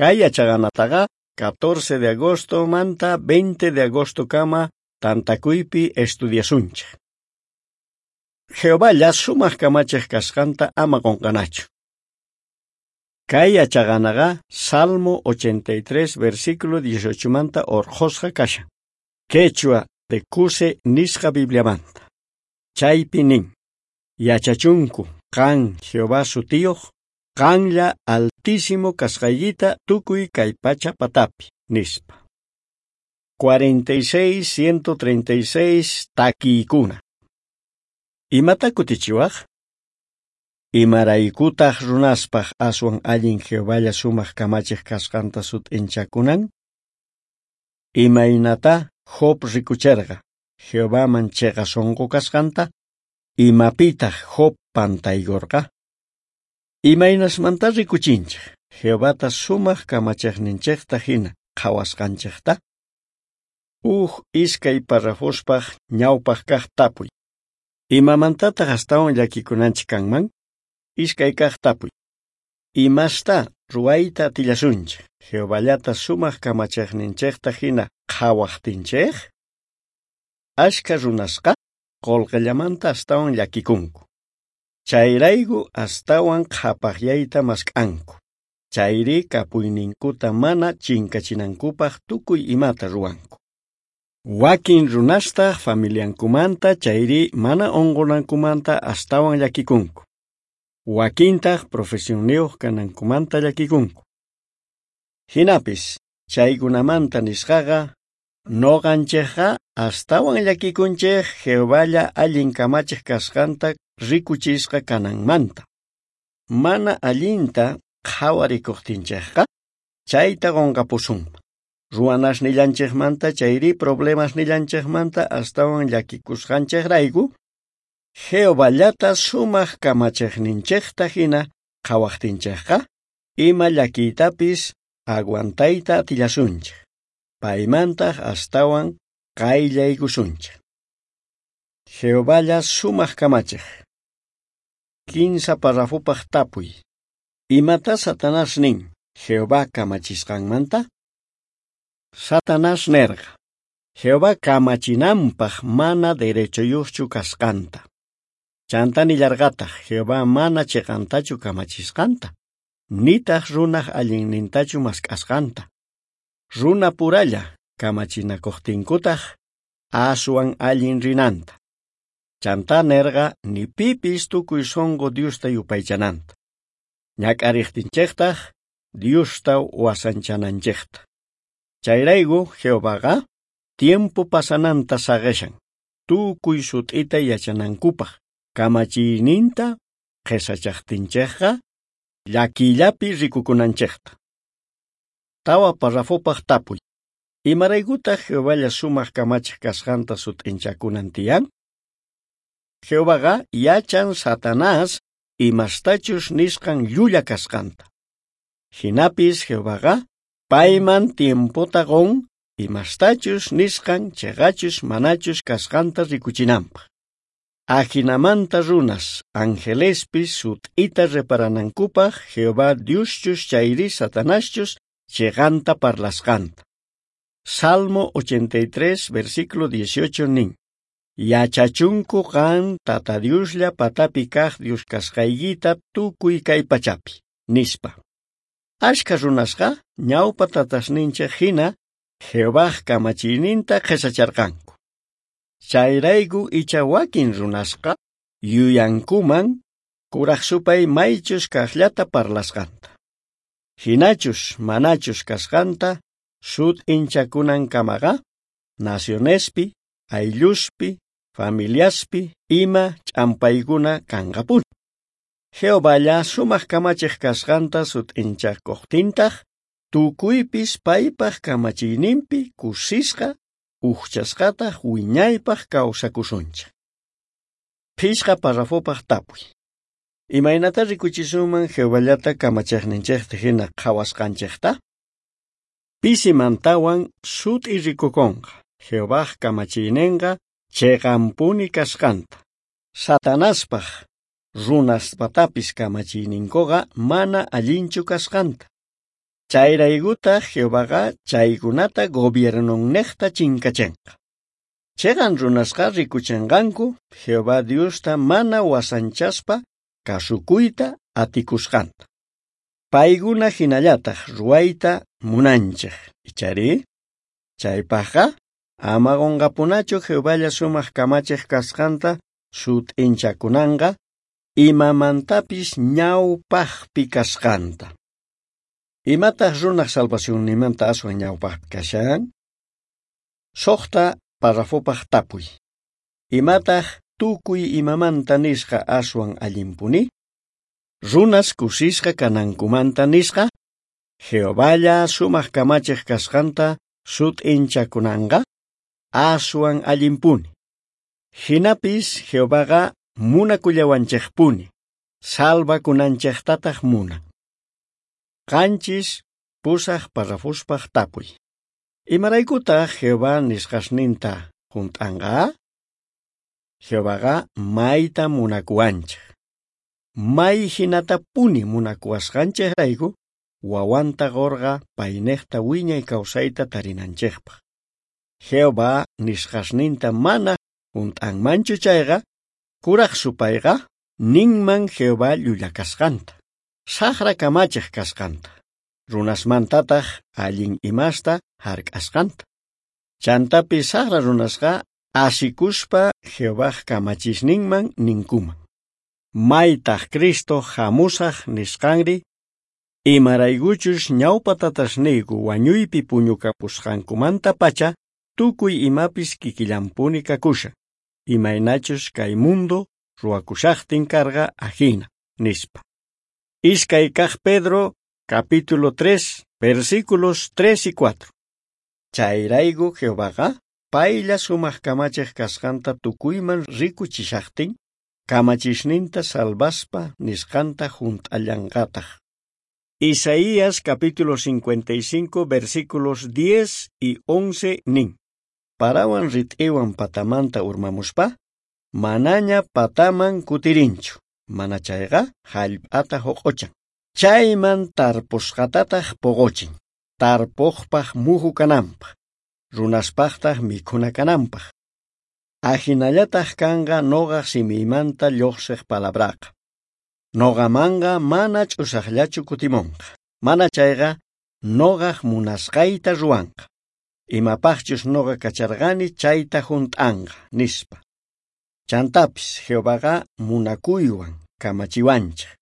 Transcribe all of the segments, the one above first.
Kay yachaqanataqa 14 de agosto manta 20 de agosto kama tantakuypi estudiasunchej. Jehovalla sumaq kamachiq kasqanta ama qunqanachu. Kay yachaqanaqa Salmo 83 versículo 18 manta orqhusqa kashan. Quechua de Cuse nisqa Bibliamanta. Chaypi nin: Yachachunku qan Jehová sutiyuq, qanlla altísimo kasqaykita tukuy kay pacha patapi, nispa. 46 136 takiykuna. Imata kutichiwaj? Imaraykutaq runaspaq aswan allin Jehovalla sumaq kamachiq kasqanta sut'inchakunan? Imaynata Job rikucherqa Jehovaman chiqa sunqu kasqanta? Imapitaq Job pantaykurqa? Imaynasmanta rikuchinchej Jehovata sumaq kamachiqninchejta hina qhawasqanchejta? Uj iskay parrafospaq ñawpaq kaq tapuy. Imamantataq astawan llakikunanchik kanman? Iskay kaq tapuy. Imasta ruwayta atillasunchej Jehovallata sumaq kamachiqninchejta hina qhawaqtinchej? Ashkha runasqa qullqillamanta astawan llakikunku. Chayrayku astawan qhapaqyayta mask'anku. Chayri kapuyninkuta mana chinkachinankupaq tukuy imata ruwanku. Wakin runastaq familiankumanta chayri mana unqunankumanta astawan llakikunku. Wakintaq profesionniyuq kanankumanta llakikunku. Hinapis chaykunamanta nisqaqa noqanchikqa astawan llakikunchik Jehovalla allin kamachiq kasqanta rikuchisqa kananmanta. Mana allinta qhawarikuqtinchikqa chayta qunqapusunman. Ruwanasnillanchikmanta chayri problemasnillanchikmanta astawan llakikusqanchikrayku Jehovallata sumaq kamachiqninchikta hina qhawaqtinchikqa ima llakiytapis aguantayta atillasunchik. Paymantaq astawan qayllaykusunchik. Jehovalla sumaq kamachiq. 15 parrafopaq tapuy. Imata Satanás nin Jehová kamachisqanmanta? Satanás nerqa Jehová kamachinanpaq mana derechoyuqchu kasqanta. Chanta nillarqataq Jehová mana chiqantachu kamachisqanta, nitaq runaq allinnintachu mask'asqanta. Runa puralla kamachinakuqtinkutaq aswan allin rinanta. Chanta nerqa ni pipis tukuy sunqu Diosta yupaychananta. Ñak'ariqtinchiktaq Diosta wasanchananchikta. Chayrayku Jehovaqa tiempo pasananta saqishan tukuy sut'ita yachanankupaq kamachiyninta qhisachaqtinchikqa llakiyllapi rikukunanchikta. 4 parrafopaq tapuy. Imaraykutaq Jehovalla sumaq kamachiq kasqanta sut'inchakunan tiyan? Jehovaqa yachan Satanás imastachus nisqan llulla kasqanta. Hinapis Jehovaqa payman tiempota qun imastachus nisqan chiqachus manachus kasqanta rikuchinanpaq. Ajinamanta runas angelespis sut'ita reparanankupaq Jehová Dioschus chayri Satanaschus chiqanta parlasqanta. Salmo 83 versículo 18 nin: Yachachunku qan Tata Dioslla patapi kaq Dios kasqaykita tukuy kay pachapi, nispa. Ashkha runasqa ñawpa tatasninchik hina Jehovaj kamachiyninta qhisacharqanku. Chayrayku icha wakin runasqa yuyankuman kuraq supay maychus kaqllata parlasqanta. Hinachus manachus kasqanta sut'inchakunankamaqa nacionespi, aylluspi, familiaspi ima ch'ampaykuna kanqapuni. Jehovalla sumaq kamachiq kasqanta sut'inchakuqtintaq tukuypis paypaq kamachiyninpi kusisqa ujchasqataq wiñaypaq kawsakusunchik. 5 parrafopaq tapuy. Imaynata rikuchisunman Jehovallata kamachiqninchikta hina qhawasqanchikta? Pisimantawan sut'i rikukunqa Jehovaj kamachiyninqa chiqanpuni kasqanta. Satanaspaq runaspatapis kamachiyninkuqa mana allinchu kasqanta. Chayraykutaj Jehovaqa chaykunata gobiernonnejta chinkachenqa. Cheqan runasqa rikuchenqanku Jehová Diosta mana wasanchaspa kasukuyta atikusqanta. Paykuna hinallataj ruwayta munanchej, ichari? Chaypajqa ama qonqapunachu Jehovalla sumaq kamachej kasqanta sut'inchakunanqa imamantapis ñawpajpi kasqanta. Imataj runaj salvacionnimanta aswan ñawpajpi kashan? 6 parrafopaj tapuy. Imataj tukuy imamanta nisqa aswan allinpuni? Runas kusisqa kanankumanta nisqa, Jehovalla sumaq kamachej kasqanta sut'inchakunanqa aswan allinpuni. Jinapis Jehovaqa munakullawanchejpuni, salvakunanchejtataj munan. 7 8 parrafospaj tapuy. Imaraykutaj Jehová nisqasninta junt'anqa? Jehovaqa mayta munakuwanchej. May hinatapuni munakuwasqanchejrayku wawanta qorqa paynejta wiñay kawsayta tarinanchejpaj. Jehová nisqasninta mana junt'anmanchu chayqa, kuraj supayqa ninman Jehová llulla kasqanta, saqra kamachej kasqanta, runasmantataj allin imasta hark'asqanta. Chantapis saqra runasqa asikuspa Jehovaj kamachisninman ninkuman. Maytaj Cristo hamusaj nisqanri, imaraykuchus ñawpa tatasniyku wañuypi puñukapusqankumantapacha tukuy imapis kikillanpuni kakushan, imaynachus kay mundo ruwakushajtin karqa ajina, nispa. 2 kaj Pedro, capítulo 3, versículos 3 y 4. Chayrayku Jehovaqa paylla sumaq kamachej kasqanta tukuyman rikuchishajtin, kamachisninta salvaspa nisqanta junt'allanqataj. Isaías capítulo 55 versículos 10 y 11 nin. Parawan rit'iwan patamanta urmamuspa, manaña pataman kutirinchu, mana chayqa jallp'ata joq'ochan. Chayman tarpusqatataj poqochin, tarpojpaj muju kananpaj, runaspajtaj mikhuna kananpaj. Ajinallataj kanqa noqaj simiymanta lluqsiq palabraqa. Noqamanqa mana ch'usaqllachu kutimonqa, mana chayqa noqaj munasqayta ruwanqa. Imapajchus noqa kacharqani chayta junt'anqa, nispa. Chantapis Jehovaqa munakuywan kamachiwanchej.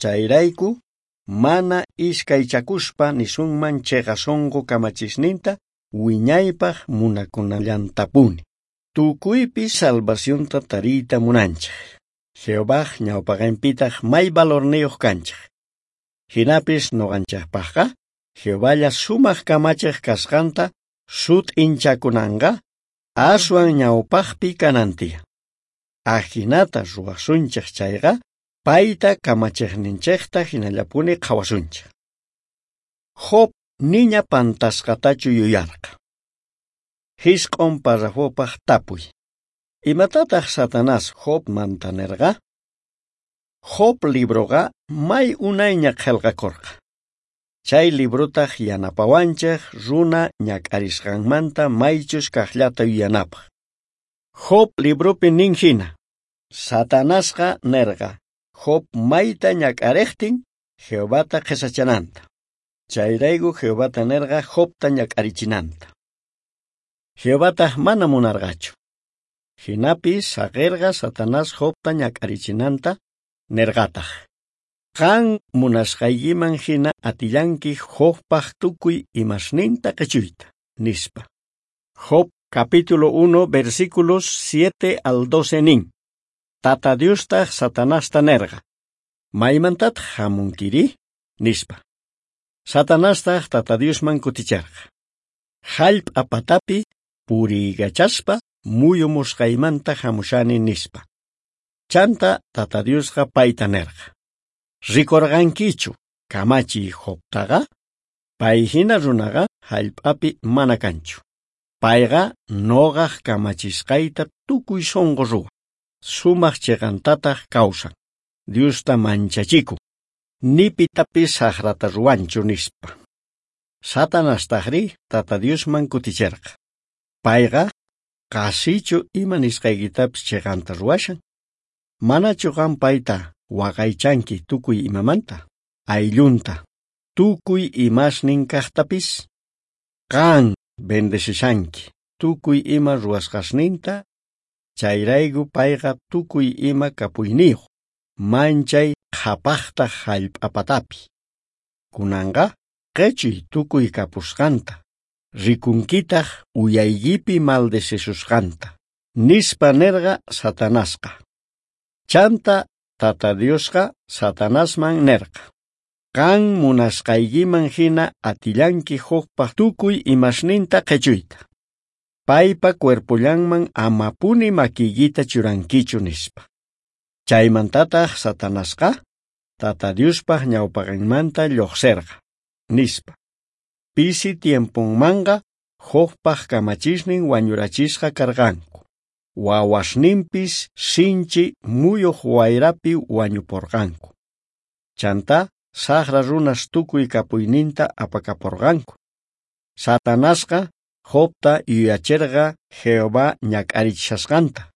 Chayrayku mana iskaychakuspa nisunman cheqa sonqo kamachisninta wiñaypaj munakunallantapuni. Tukuypi salvacionta tariyta munanchej. Jehovaj ñawpaqenpitaj may valorniyuq kanchej. Jinapis noqanchejpajqa Jehovalla sumaq kamachej kasqanta sut'inchakunanqa aswan ñawpajpi kanan tiyan. Ajinata ruwasunchej chayqa payta kamachejninchejta hinallapuni qhawasunchej. Job niña pantasqatachu yuyarqa. 9 parrafopaj tapuy. Imatataj Satanás Jobmanta nerqa? Job libroqa may unayña qhelqakorqa. Chay librotaj yanapawanchej runa ñak'arisqanmanta maychus kajllata yuyanapaj. Job libropi nin hina, Satanasqa nerqa Job mayta ñak'arejtin Jehovata qhesachananta. Chayrayku Jehovata nerqa Jobta ñak'arichinanta. Jehovataj mana munarqachu. Jinapis saqerqa Satanás Jobta ñak'arichinanta nerqataj. Qan munasqaykiman hina atillanki Jobpaj tukuy imasninta qhechuyta, nispa. Job capítulo 1 versículos 7 al 12 nin. Tata Diostaj Satanasta nerqa. Maymantataj hamunkiri? Nispa. Satanastaj Tata Diosman kuticharqa. Jallp'a patapi puriykachaspa muyumusqaymanta hamushani nispa. Chanta Tata Diosqa payta nerqa. Rikorqankichu kamachiy Jobtaqa? Pay hina runaqa jallp'api mana kanchu. Payqa noqaj kamachisqayta tukuy sonqo ruwan. Sumaq chiqantataj kawsan. Diosta manchachikun. Ni pitapis saqrata ruwanchu nispa. Satanastajrí Tata Diosman kuticherqa: Payqa qhasichu ima nisqaykitapis cheqanta ruwashan? Manachu qan payta waqaychanki tukuy imamanta, ayllunta, tukuy imasnin kajtapis? Qan bendecishanki tukuy ima ruwasqasninta, chayrayku payqa tukuy ima kapuyniyuq, manchay qhapajtaj jallp'apatapi. Kunanqa qhechuy tukuy kapusqanta, rikunkitaj uyaykipi maldecisusqanta, nispa nerqa Satanasqa. Chanta Tata Diosqa Satanasman nerqa: Qan munasqaykiman jina atillanki Jobpaj tukuy imasninta qhechuyta. Paypa cuerpollanman amapuni makiykita churankichu, nispa. Chaymantataj Satanasqa Tata Diospaj ñawpaqenmanta llojserqa, nispa. Pisi tiemponmanqa Jobpaj kamachisnin wañurachisqa karqanku. Wawasninpis sinchi muyuj wayrapi wañuporqanku. Chantá sajra runas tukuy kapuyninta apakaporqanku. Satanasqa Jobta yuyacherqa Jehová ñak'arichishasqanta.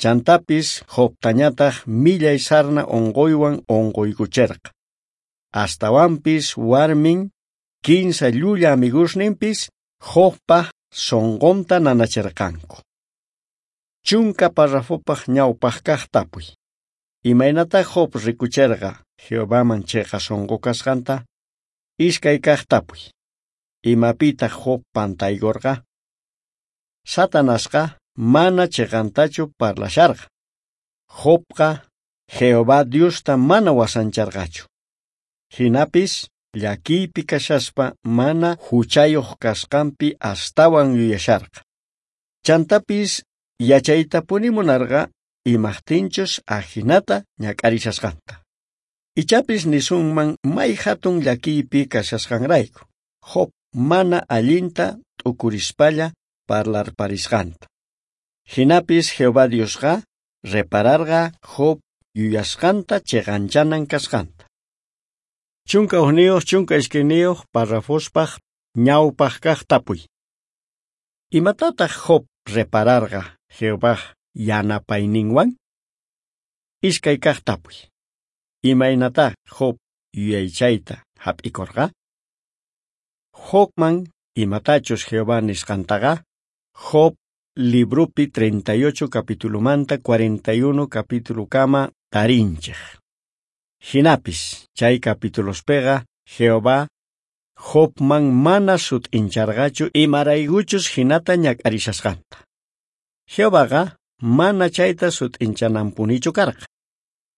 Chantapis Jobtañataj millay sarna onqoywan onqoykucherqa. Astawanpis warmin, kinsa llulla amigusninpis Jobpa sonqonta nanacherqanku. 10 parrafopaj ñawpaj kaj tapuy. Imaynatá Job rikucherqa Jehovaman cheqa sonqo kasqanta? 2 kaj tapuy. Imapitaj Job pantaykorqa? Satanasqa mana cheqantachu parlasharqa. Jobqa Jehová Diosta mana wasancharqachu. Jinapis llakiypi kashaspa mana juchayuq kasqanpi astawan yuyasharqa. Chantapis yachaytapuni munarqa imajtinchus ajinata ñak'arishasqanta. Ichapis nisunman may jatun llakiypi kashasqanrayku Job mana allinta t'ukurispalla parlarparisqanta. Jinapis Jehová Diosqa repararqa Job yuyasqanta cheqanchanan kasqanta. 11 12 parrafospaj ñawpaj kaj tapuy. Imatataj Job repararqa Jehovaj yanapayninwan? 2 kaj tapuy. Imaynatá Job yuyaychayta jap'ikorqa? Jobman imatachus Jehová nisqantaqa Job libropi 38 capitulomanta 41 capitulokama tarinchej. Jinapis chay capitulospega Jehová Jobman mana sut'incharqachu imaraykuchus jinata ñak'arishasqanta. Jehovaqa mana chayta sut'inchananpunichu karqa.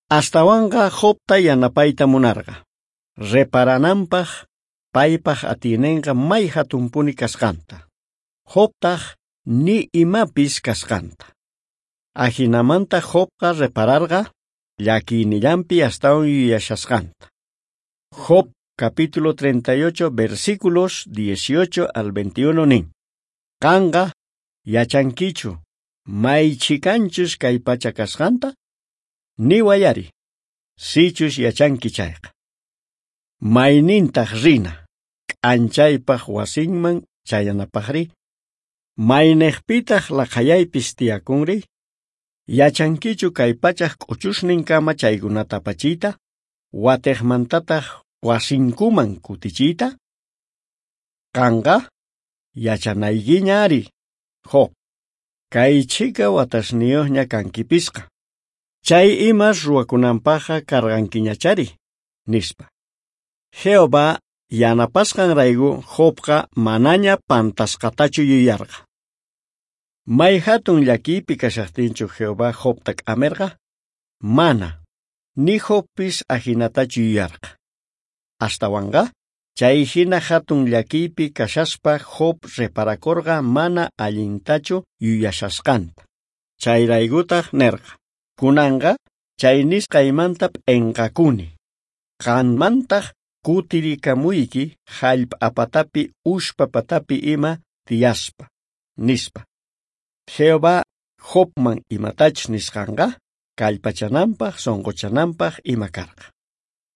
Astawanqa Jobta yanapayta munarqa, reparananpaj paypaj atiynenqa may jatunpuni kasqanta, Jobtaj ni imapis kasqanta. Ajinamanta Jobqa repararqa llakiynillanpi astawan yuyashasqanta. Job capítulo 38 versículos 18 al 21 nin: Qanqa yachankichu may chhikanchus kay pacha kasqanta? Niwayari, sichus yachanki chayqa. Maynintaj rina k'anchaypaj wasinman chayanapajri? Maynejpitaj laqhayaypis tiyakunri? Yachankichu kay pachaj k'uchusninkama chaykunata apachiyta, watejmantataj wasinkuman kutichiyta? Qanqa yachanaykiña ari, Job, kay chhika watasniyuqña kankipisqa. Chay imas ruwakunanpajqa karqankiñachari, nispa. Jehová yanapasqanrayku Jobqa manaña pantasqatachu yuyarqa. May jatun llakiypi kashajtinchu Jehová Jobta k'amerqa? Mana, ni Jobpis ajinatachu yuyarqa. Astawanqa, chay jina jatun llakiypi kashaspa Job reparakorqa mana allintachu yuyashasqanta. Chayraykutaj nerqa: Kunanqa chay nisqaymanta p'enqakuni. Qanmantaj kutirikamuyki jallp'apatapi ushpapatapi ima tiyaspa, nispa. Jehová Jobman imatachus nisqanqa kallpachananpaj sonqochananpaj ima karqa.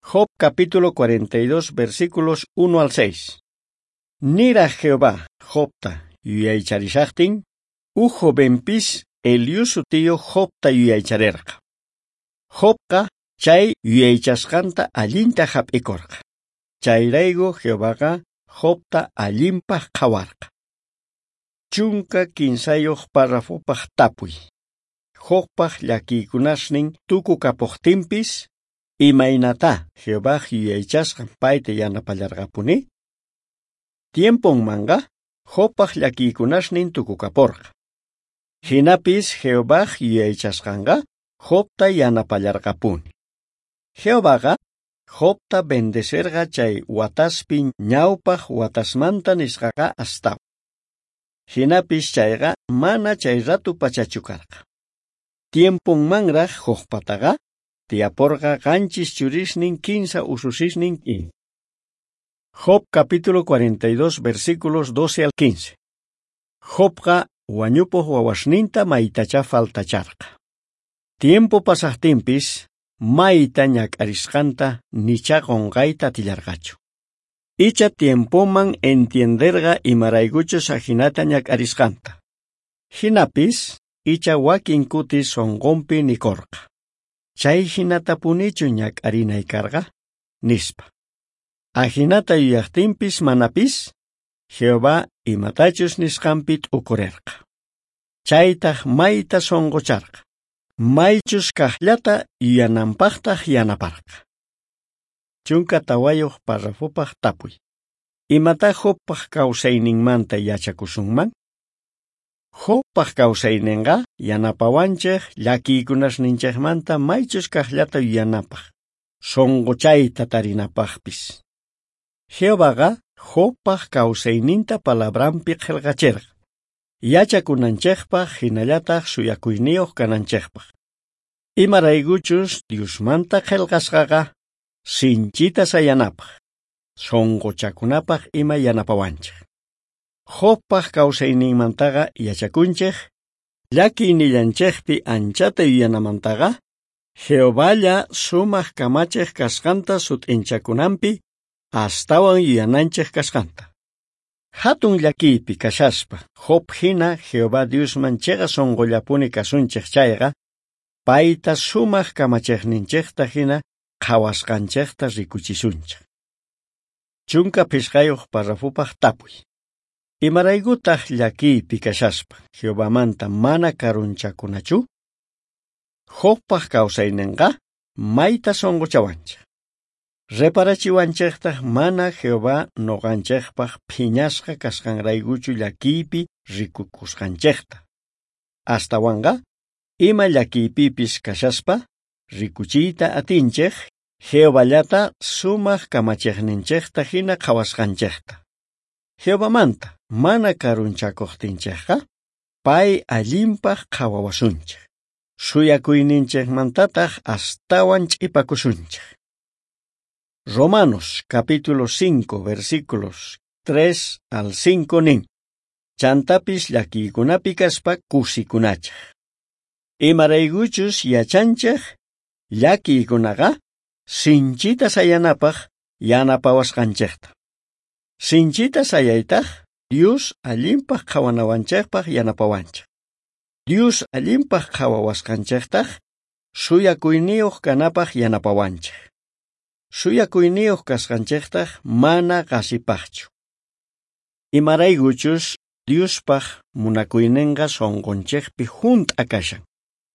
Job capítulo 42 versículos 1 al 6. Niraj Jehová Jobta yuyaycharishajtin, uj jovenpis Eliú sutiyoj Jobta yuyaycharerqa. Jobqa chay yuyaychasqanta allinta jap'ikorqa. Chayrayku Jehovaqa Jobta allinpaj qhawarqa. 13 párrafopaj tapuy. Jobpaj llakiykunasnin tukukapojtinpis, imaynatá Jehovaj yuyaychasqan payta yanapallarqapuni? Tiemponmanqa Jobpaj llakiykunasnin tukukaporqa. Jinapis Jehovaj yuyaychasqanqa Jobta yanapallarqapuni. Jehovaqa Jobta bendecerqa chay wataspi ñawpaj watasmanta nisqaqa astawan. Jinapis chayqa mana chay ratu pachachu karqa. Tiemponmanraj Jobpataqa tiyaporqa 7 churisnin 15 ususisnin ima. Job capítulo 42 versículos 12 al 15. Jobqa wañupoj wawasninta maytachá faltacharqa. Tiempo pasajtinpis mayta ñak'arisqanta nichá qonqayta atillarqachu. Icha tiempoman entienderqa imaraykuchus ajinata ñak'arisqanta. Jinapis icha wakin kutis sonqonpi nikorqa: Chay jinatapunichu ñak'arinay karqa, nispa. Ajinata yuyajtinpis manapis, Jehová imatachus nisqanpi t'ukurerqa. Chaytaj mayta sonqocharqa, maychus kajllata yuyananpajtaj yanaparqa. 14 párrafopaj tapuy. Imatá Jobpaj kawsayninmanta yachakusunman? Jobpaj kawsaynenqa yanapawanchej llakiykunasninchejmanta maychus kajllata yuyanapaj, sonqochayta tarinapajpis. Jehovaqa Jobpaj kawsayninta palabranpi qhelqacherqa, yachakunanchejpaj jinallataj suyakuyniyoj kananchejpaj. Imaraykuchus Diosmanta qhelqasqaqa sinchita sayanapaj, sonqochakunapaj ima yanapawanchej. Jobpaj kawsayninmantaqa yachakunchej, llakiynillanchejpi anchata yuyanamantaqa, Jehovalla sumaj kamachej kasqanta sut'inchakunanpi astawan yuyananchej kasqanta. Hatun llakiypi kashaspa Job hina Jehová Diosman cheqa sonqollapuni kasunchej chayqa, payta sumaj kamachejninchejta hina qhawasqanchejta rikuchisunchej. 15 párrafopaj tapuy. Imaraykutaj llakiypi kashaspa Jehovamanta mana karunchakunachu? Jobpaj kawsaynenqa mayta sonqochawanchej. Reparachiwanchejtaj mana Jehová noqanchejpaj phiñasqa kasqanraykuchu llakiypi rikukusqanchejta. Astawanqa ima llakiypipis kashaspa rikuchiyta atinchej Jehovallata sumaj kamachejninchejta hina qhawasqanchejta. Jehovamanta mana karunchakojtinchejqa pay allinpaj qhawawasunchej. Suyakuyninchejmantataj astawan ch'ipakusunchej. Romanos capítulo 5 versículos 3 al 5 nin. Chantapis llakiykunapi kaspa kusikunachej. Imaraykuchus yachanchej llakiykunaqa sinchita sayanapaj yanapawasqanchejta. Sinchita sayaytaj Dios allinpaj qhawanawanchejpaj yanapawanchej. Dios allinpaj qhawawasqanchejtaj suyakuyniyoj kanapaj yanapawanchej. Suyakuyniyoj kasqanchejtaj mana qasipajchu. Imaraykuchus Diospaj munakuynenqa sonqonchejpi junt'a kashan.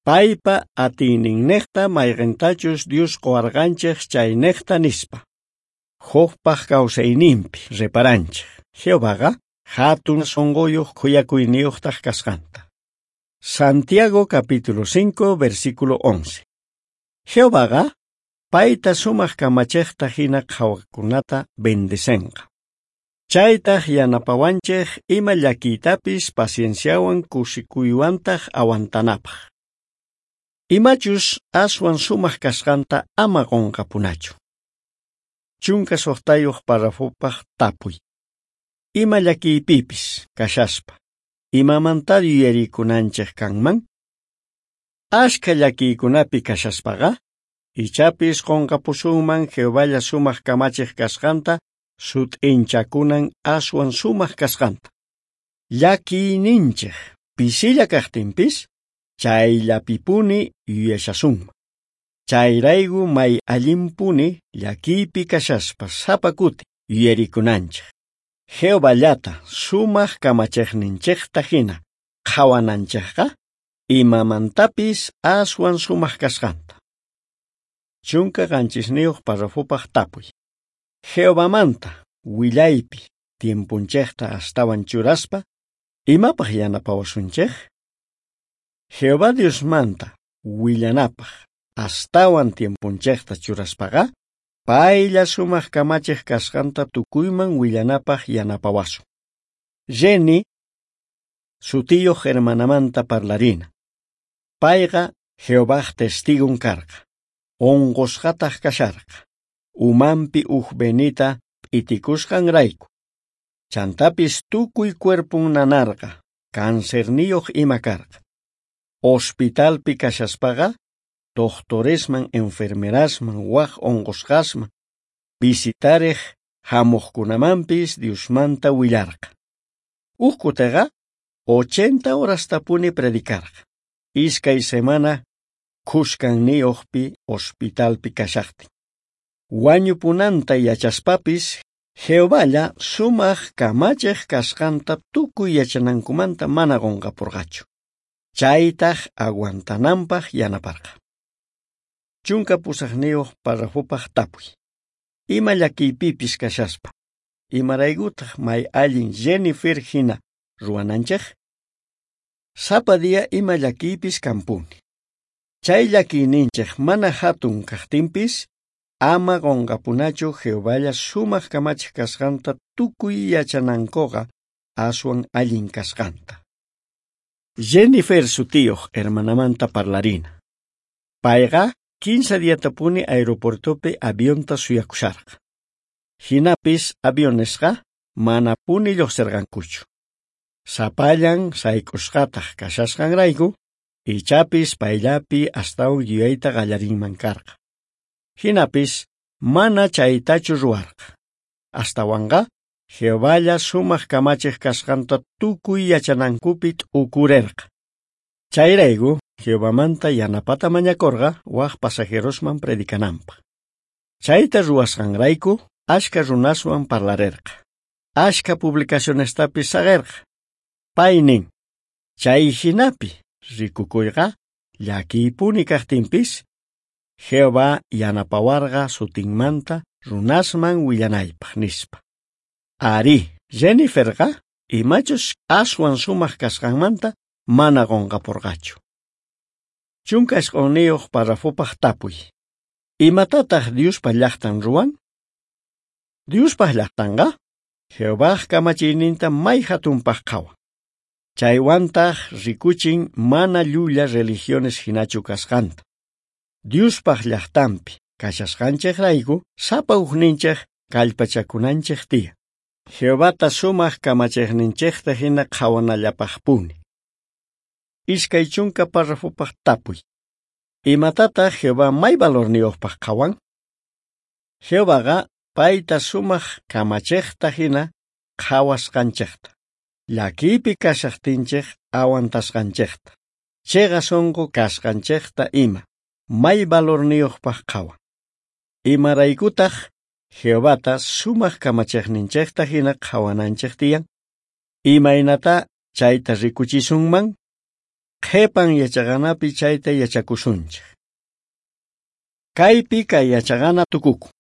Paypa atiyninnejta mayqentachus Dios qowarqanchej chaynejta nispa. Jobpaj kawsayninpi reparanchej Jehovaqa hatun sonqoyoj khuyakuyniyojtaj kasqanta. Santiago capítulo 5 versículo 11. Jehovaqa payta sumaj kamachejta hina qhawaqkunata bendecenqa. Chaytaj yanapawanchej ima llakiytapis pacienciawan kusikuywantaj awantanapaj. Imachus aswan sumaj kasqanta ama qonqapunachu. 16 párrafopaj tapuy. Ima llakiypipis kashaspa, imamanta yuyarikunanchej kanman? Ashkha llakiykunapi kashaspaqa, ichapis qonqapusunman Jehovalla sumaj kamachej kasqanta sut'inchakunan aswan sumaq kasqanta. Llakiyninchej pisilla kajtinpis, chayllapipuni yuyashasunman. Chayrayku may allinpuni llakiypi kashaspa sapa kuti yuyarikunanchej. Jehovallata sumaq kamachejninchejta hina qhawananchejqa imamantapis aswan sumaq kasqanta. 17 parrafopaj tapuy. Jehovamanta willaypi tiemponchejta astawan churaspa, imapaj yanapawasunchej? Jehová Diosmanta willanapaj astawan tiemponchejta churaspaqa, paylla sumaq kamachej kasqanta tukuyman willanapaj yanapawasun. Jenny sutiyuq hermanamanta parlarina. Payqa Jehovaj testigon karqa. Onqosqataq kasharqa. Umanpi uj venita p'itikusqanrayku. Chantapis tukuy cuerpon nanarqa, cancerniyuq ima karqa. Hospitalpi kashaspaqa, doctoresman, enfermerasman, waj onqosqasman, visitarej hamuqkunamanpis Diosmanta willarqa. Uj kutiqa 80 horastapuni predicarqa. Iskay semana khuskanniyuqpi hospitalpi kashaqtin. Wañupunanta yachaspapis, Jehovalla sumaq kamachej kasqanta tukuy yachanankumanta mana qunqapurqachu. Chaytaj aguantananpaj yanaparqa. 18 parrafopaj tapuy. Ima llakiypipis kashaspa, imaraykutaq may allin Jennifer hina ruwananchej? Sapa día ima llakiypis kanpuni. Chay llakiyninchej mana hatun kajtinpis, ama qunqapunachu Jehovalla sumaq kamachej kasqanta tukuy yachanankuqa aswan allin kasqanta. Jennifer sutiyuq hermanamanta parlarina. Payqa 15 diatapuni aeropuertopi avionta suyakusharqa. Hinapis avionesqa manapuni lluqsirqankuchu. Sapallan sayk'usqataq kashasqanrayku, ichapis payllapi astawan yuyayta qallarinman karqa. Hinapis mana chaytachu ruwarqa. Astawanqa Jehovalla sumaq kamachej kasqanta tukuy yachanankupi t'ukurerqa. Chayrayku Jehovamanta yanapata mañakorqa waj pasajerosman predicananpaj. Chayta ruwasqanrayku ashka runaswan parlarerqa. Ashka publicacionestapis saqerqa. Pay nin, chay hinapi rikukuyqa llakiypuni kajtinpis, Jehová yanapawarqa sutinmanta runasman willanaypaj nispa. Ari, Jenniferqa imachus aswan sumaq kasqanmanta mana qunqapurqachu. 19 parrafopaj tapuy. Imatataq Diospa llaqtan ruwan? Diospa llaqtanqa Jehovaj kamachiyninta may hatunpaj qhawan. Chaywantaq rikuchin mana llulla religiones hinachu kasqanta. Diospaj llaqtanpi kashasqanchejrayku sapa ujninchej kallpachakunanchej tiyan. Jehovata sumaq kamachejninchejta hina qhawanallapajpuni. 20 parrafopaj tapuy. Imatataq Jehová may valorniyuqpaj qhawan? Jehovaqa payta sumaq kamachejta hina qhawasqanchejta. Llakiypi kashaqtinchej aguantasqanchejta. Chiqa sunqu kasqanchejta ima may valorniyuqpaj qhawan. Imaraykutaq Jehovata sumaq kamachejninchejta hina qhawananchej tiyan? Imaynata chayta rikuchisunman? Qhepan yachaqanapi chayta yachakusunchej. Kaypi kay yachaqana tukukun.